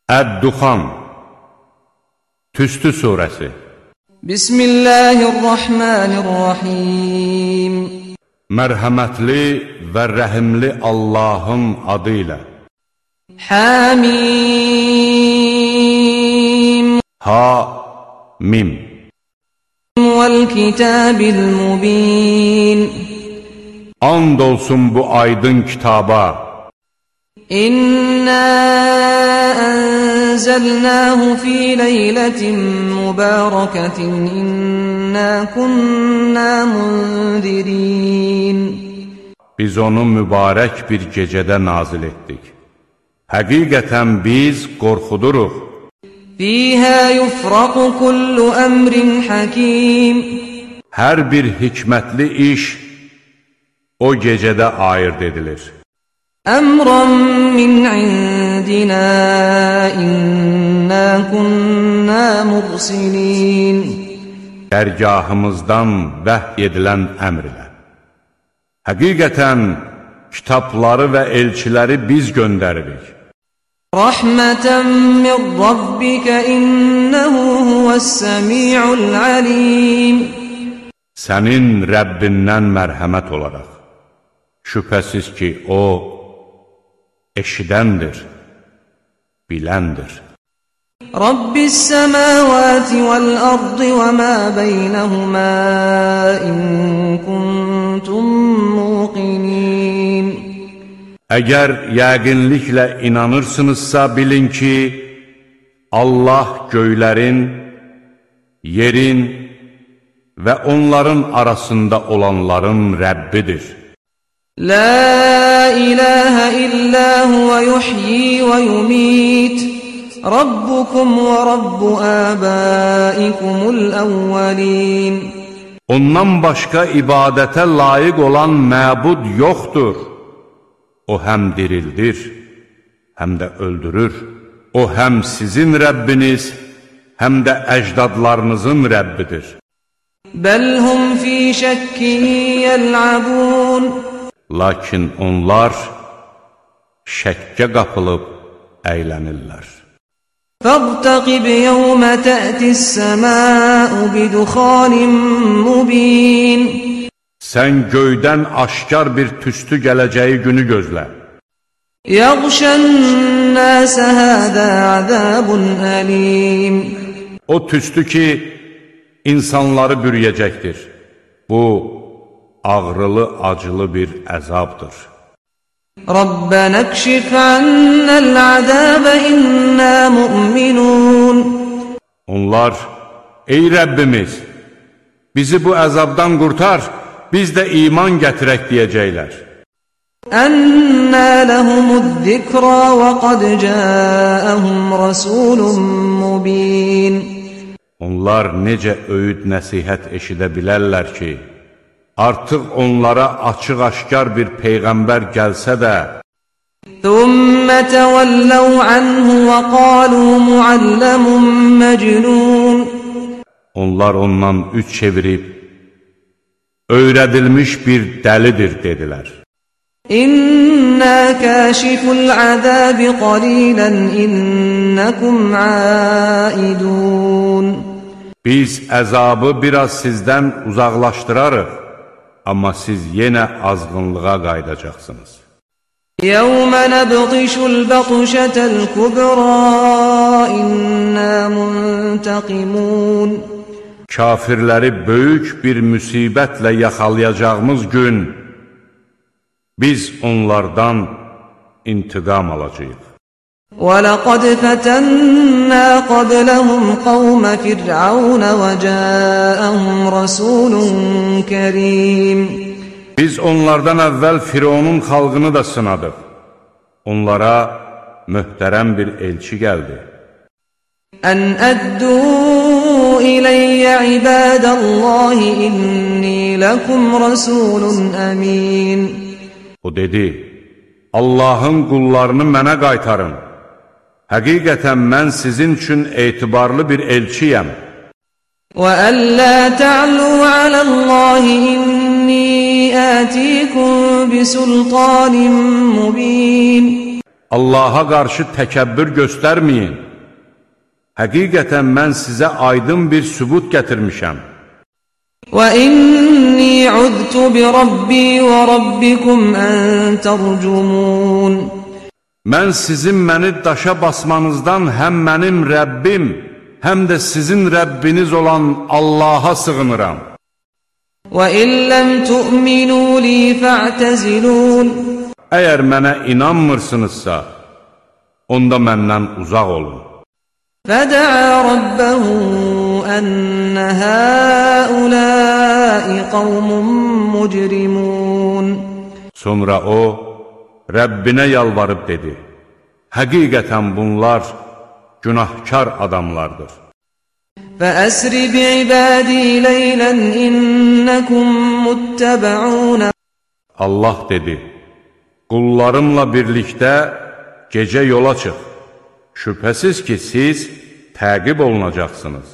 Əd-Duxan Tüstü surəsi. Bismillahirrahmanirrahim. Mərhəmətli və rəhimli Allahın adı ilə. Hamim. Ha-mim. Vəl-kitabil mubin. And olsun bu aydın kitaba. İnna enzelnahu fi leyletin mübareketin inna kunna munzirin. Biz onu mübarək bir gecədə nazil etdik. Həqiqətən biz qorxuduruq. Fiha yufraqu kullu emrin hakim. Hər bir hikmətli iş o gecədə ayırd edilir. Əmran min indina inna kunna mursilin. Dərgahımızdan vəhy edilən əmr ilə. Həqiqətən kitabları və elçiləri biz göndəririk. Rahmeten min rabbika innehu huves-semi'ul alim. Sənin Rəbbindən mərhəmət olaraq. Şübhəsiz ki, o eşidəndir, biləndir. Rabbis-semavati vel-ardı və mə beynəhumə in kuntum muqinin. Əgər yəqinliklə inanırsınızsa, bilin ki, Allah göylərin, yerin və onların arasında olanların Rəbbidir. La ilahe illa huve yuhyi ve yumit. Rabbukum ve rabbu abaikumul evvelin. Ondan başqa ibadətə layiq olan məbud yoxdur. O həm dirildir, həm də öldürür. O həm sizin Rəbbiniz, həm də əcdadlarınızın Rəbbidir. Bəl hum fi şəkkin yəl'abun. Lakin onlar şəkkə qapılıb əylənirlər. Fəqtəqib yevmə tə'tis-səmâ'u bidukhanin mubin. Sən göydən aşkar bir tüstü gələcəyi günü gözlə. Yəğşən-nəsə həzə əzəbun əlim. O tüstü ki, insanları bürüyəcəkdir. Bu, ağrılı, acılı bir əzabdır. Rabbənə kşif annəl-əzəbə innə mu'minun. Onlar, ey Rəbbimiz, bizi bu əzabdan qurtar, biz də iman gətirək deyəcəklər. Ənnə ləhumuz-zikrə və qad cəəhum rasulun mubin. Onlar necə öyüd nəsihət eşidə bilərlər ki, artıq onlara açıq-aşkar bir peyğəmbər gəlsə də, Thumma təvəlləv anhu və qalu mualləmun məcnun. Onlar ondan üç çevirib, öyrədilmiş bir dəlidir dedilər. İnnə kəşiful-əzəbi qalilən innəkum aidun. Biz əzabı biraz sizdən uzaqlaşdırarıq, amma siz yenə azğınlığa qayıdacaqsınız. Yevmə nəbğişul-bəqşətəl-kübrə innə muntaqimun. Kafirləri böyük bir müsibətlə yaxalayacağımız gün, biz onlardan intiqam alacağıq. وَلَقَدْ فَتَنَّا قَبْلَهُمْ قَوْمَ فِرْعَوْنَ وَجَاءَهُمْ رَسُولٌ كَرِيمٌ. Biz onlardan əvvəl Fironun xalqını da sınadıq. Onlara möhtərəm bir elçi gəldi. Ən əddu iləyyə ibadəllahi inni ləkum rasulun əmin. O dedi, Allahın qullarını mənə qaytarın. Həqiqətən mən sizin üçün etibarlı bir elçiyəm. وَأَنْ لَا تَعْلُوا عَلَى اللَّهِ إِنِّي آتِيكُمْ بِسُلْطَانٍ مُبِينٍ. Allaha qarşı təkəbbür göstərməyin. Həqiqətən mən sizə aydın bir sübut gətirmişəm. وَإِنِّي عُذْتُ بِرَبِّي وَرَبِّكُمْ أَن تَرْجُمُونَ Mən sizin məni daşa basmanızdan həm mənim Rəbbim, həm də sizin Rəbbiniz olan Allaha sığınıram. وَإِن لَّمْ تُؤْمِنُوا لِي فَاعْتَزِلُونِ Əgər mənə inanmırsınızsa, onda məndən uzaq olun. فَدَعَا رَبَّهُ أَنَّ هَٰؤُلَاءِ قَوْمٌ مُجْرِمُونَ Sonra o, Rəbbinə yalvarıb dedi, həqiqətən bunlar günahkar adamlardır. فَأَسْرِ بِعِبَادِي لَيْلًا إِنَّكُمْ مُتَّبَعُونَ Allah dedi, qullarımla birlikdə gecə yola çıx. Şübhəsiz ki, siz təqib olunacaqsınız.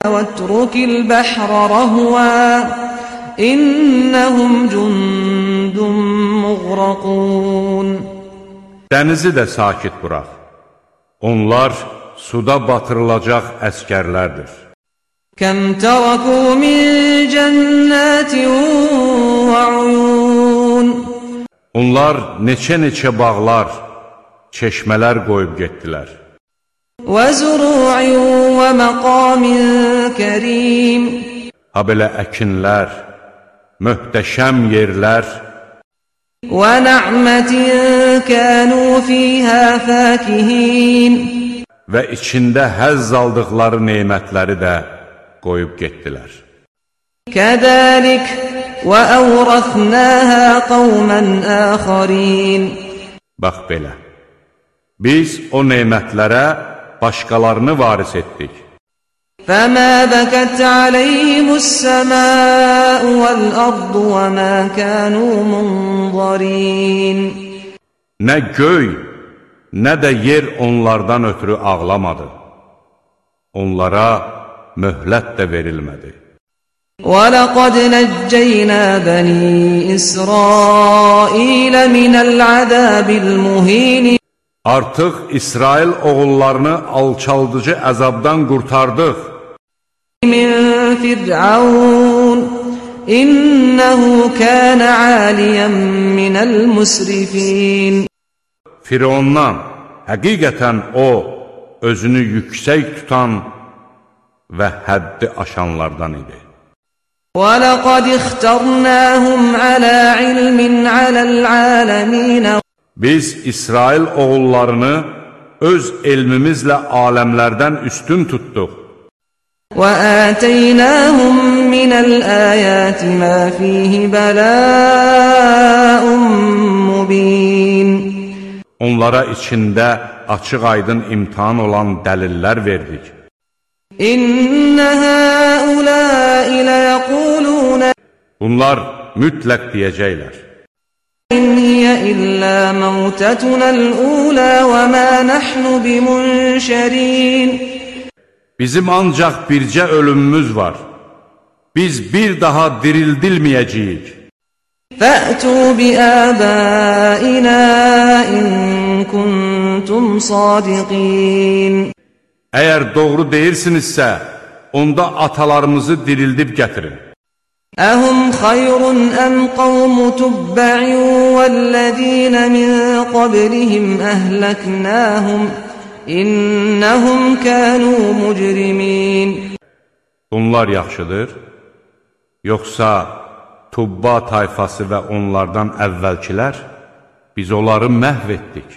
وَاتْرُكِ الْبَحْرَ رَهْوًا إِنَّهُمْ جُندٌ مُغْرَقُونَ Dənizi də sakit burax. Onlar suda batırılacaq əskərlərdir. كَمْ تَرَكُوا مِنْ جَنَّاتٍ وَعُيُونَ Onlar neçə bağlar, çeşmələr qoyub getdilər. وَزُرُوعٍ وَمَقَامٍ كَرِيمٍ Ha belə əkinlər, möhtəşəm yerlər وَنَعْمَةٍ كَانُوا فِيهَا فَاكِهِينَ və içində həzz aldıqları nemətləri də qoyub getdilər. كَذَلِكَ وَأَوْرَثْنَاهَا قَوْمًا آخَرِينَ Bax belə, biz o nemətlərə başqalarını varis etdik. فَمَا بَكَتْ عَلَيْهِمُ السَّمَاءُ وَالْأَرْضُ وَمَا كَانُوا مُنظَرِينَ Nə göy, nə də yer onlardan ötürü ağlamadı. Onlara möhlət də verilmədi. وَلَقَدْ نَجَّيْنَا بَنِي إِسْرَائِيلَ مِنَ الْعَذَابِ الْمُهِينِ Artıq İsrail oğullarını alçaldıcı əzabdan qurtardıq. مِنْ فِرْعَوْنَ إِنَّهُ كَانَ عَالِيًا مِنَ الْمُسْرِفِينَ Firondan, həqiqətən o, özünü yüksək tutan və həddi aşanlardan idi. وَلَقَدْ اخْتَرْنَاهُمْ عَلَى عِلْمٍ عَلَى الْعَالَمِينَ Biz İsrail oğullarını öz elmimizlə aləmlərdən üstün tutduq. وَآتَيْنَاهُمْ مِنَ الْآيَاتِ مَا فِيهِ بَلَاءٌ مُبِينٌ Onlara içində açıq-aydın imtihan olan dəlillər verdik. إِنَّ هَٰؤُلَاءِ لَيَقُولُونَ Bunlar mütləq deyəcəklər. إِنْ هِيَ إِلَّا مَوْتَتُنَا الْأُولَى وَمَا نَحْنُ بِمُنشَرِينَ Bizim ancaq bircə ölümümüz var. Biz bir daha dirildilməyəcəyik. فَأْتُوا بِآبَائِنَا إِن كُنتُمْ صَادِقِينَ Əgər doğru deyirsinizsə, onda atalarımızı dirildib gətirin. أَهُمْ خَيْرٌ أَمْ قَوْمُ تُبَّعٍ وَالَّذِينَ مِنْ قَبْلِهِمْ أَهْلَكْنَاهُمْ إِنَّهُمْ كَانُوا مُجْرِمِينَ Bunlar yaxşıdır, yoxsa Tubba tayfası və onlardan əvvəlkilər, biz onları məhv etdik.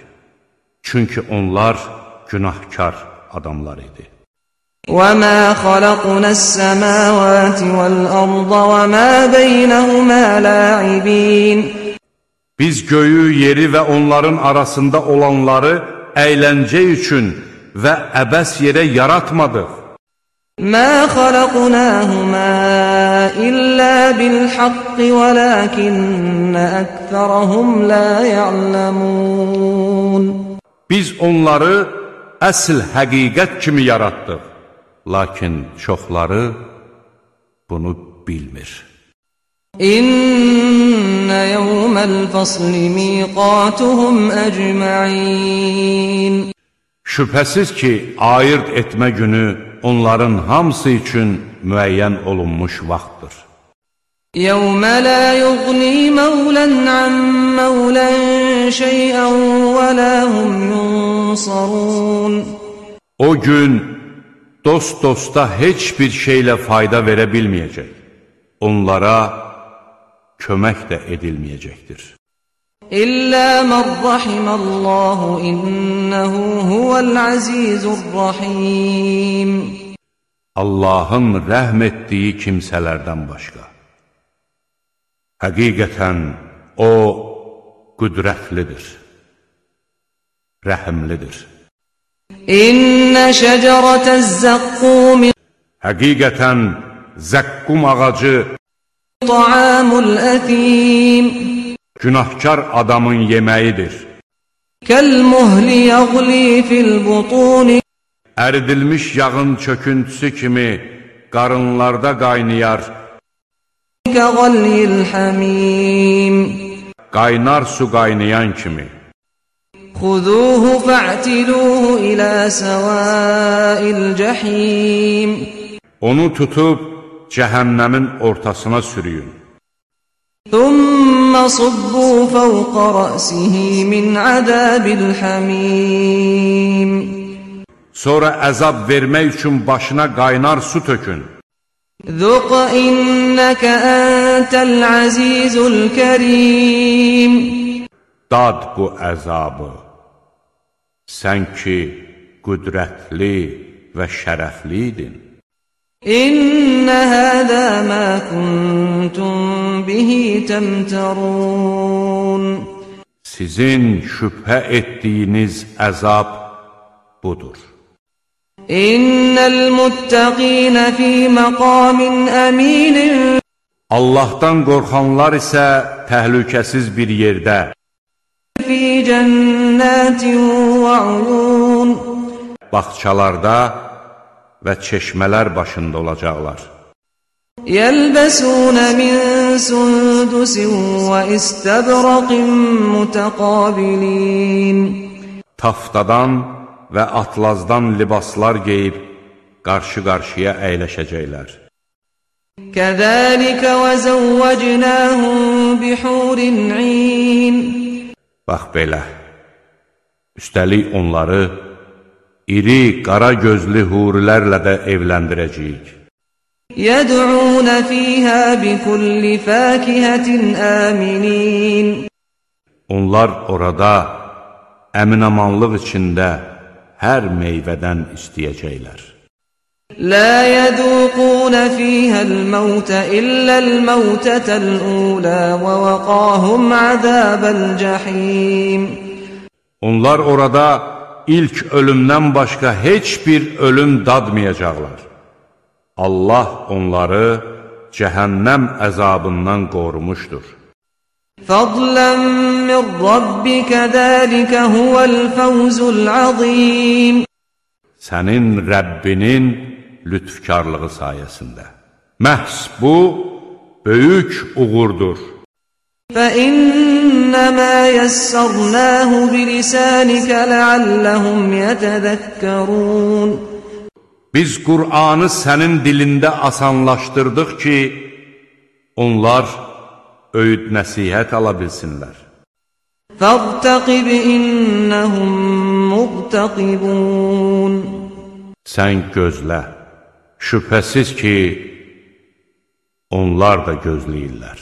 Çünki onlar günahkar adamlar idi. وَمَا خَلَقْنَا السَّمَاوَاتِ وَالْأَرْضَ وَمَا بَيْنَهُمَا لَاعِبِينَ Biz göyü, yeri və onların arasında olanları əyləncə üçün və əbəs yerə yaratmadıq. مَا خَلَقْنَاهُمَا إِلَّا بِالْحَقِّ وَلَكِنَّ أَكْثَرَهُمْ لَا يَعْلَمُونَ Biz onları əsl həqiqət kimi yaratdıq. Lakin çoxları bunu bilmir. İnne yevmel fasli miqatuhum ecma'in. Şübhəsiz ki, ayırt etmə günü onların hamısı üçün müəyyən olunmuş vaxtdır. يَوْمَ لَا يُغْنِي مَوْلًى عَنْ مَوْلًى شَيْئًا وَلَا هُمْ يُنصَرُونَ. O gün dost dosta heç bir şeylə fayda verə bilməyəcək. Onlara kömək də edilməyəcəkdir. İllə mən rahimallahu innehu huvel azizur rahim. Allahın rəhm etdiyi kimsələrdən başqa. Həqiqətən O qüdrətlidir, rəhimlidir. İnnə şəcərətəz zəqqum. Həqiqətən zəqqum ağacı ta'amul əthim. Günahkar adamın yeməyidir. Kəl-muhli yəğli fil-butuni. Əridilmiş yağın çöküntüsü kimi qarınlarda qaynayar. Kəğalyil-həmim. Qaynar su qaynayan kimi. Xuduhu fa'tiluhu ilə səvail-cəhim. Onu tutub cəhənnəmin ortasına sürüyün. ثُمَّ صُبُّوا فَوْقَ رَأْسِهِ مِنْ عَذَابِ الْحَمِيمِ. Sonra əzab vermək üçün başına qaynar su tökün. ذُقْ إِنَّكَ أَنْتَ الْعَزِيزُ الْكَرِيمُ. Dad bu əzabı. Sən ki, qüdrətli və şərəfliydin. İnnə həzə mə kuntum bihi təmtərun. Sizin şübhə etdiyiniz əzab budur. İnnəl muttəqinə fī məqamin əminin. Allahdan qorxanlar isə təhlükəsiz bir yerdə, Fī cənnətin və uyun. bağçalarda və çeşmələr başında olacaqlar. Yəlbəsunə min sundusin və istəbraqin mütəqabilin. Taftadan və atlazdan libaslar geyib, qarşı-qarşıya əyləşəcəklər. Kəzəlikə və zəvvəcnəhum bihurin in. Bax belə, üstəlik onları iri, qara gözlü hurilərlə də evləndirəcəyik. Yəd'unə fīhə bikulli fəkihətin əminin. Onlar orada əminamanlıq içində hər meyvədən istəyəcəklər. Lə yədūqunə fīhəl-məvtə illəl-məvtətəl-ulə və vəqahum əzəbəl-cəhim. Onlar orada ilk ölümdən başqa heç bir ölüm dadmayacaqlar. Allah onları cəhənnəm əzabından qorumuşdur. Fadlan min rabbikə dəlikə huvəl-fəvzul-azim. Sənin Rəbbinin lütfkarlığı sayəsində. Məhz bu, böyük uğurdur. فَإِنَّمَا يَسَّرْنَاهُ بِلِسَانِكَ لَعَلَّهُمْ يَتَذَكَّرُونَ. Biz Qur'anı sənin dilində asanlaşdırdıq ki, onlar öyüd nəsihət ala bilsinlər. فَارْتَقِبْ إِنَّهُمْ مُرْتَقِبُونَ. Sən gözlə, şübhəsiz ki, onlar da gözləyirlər.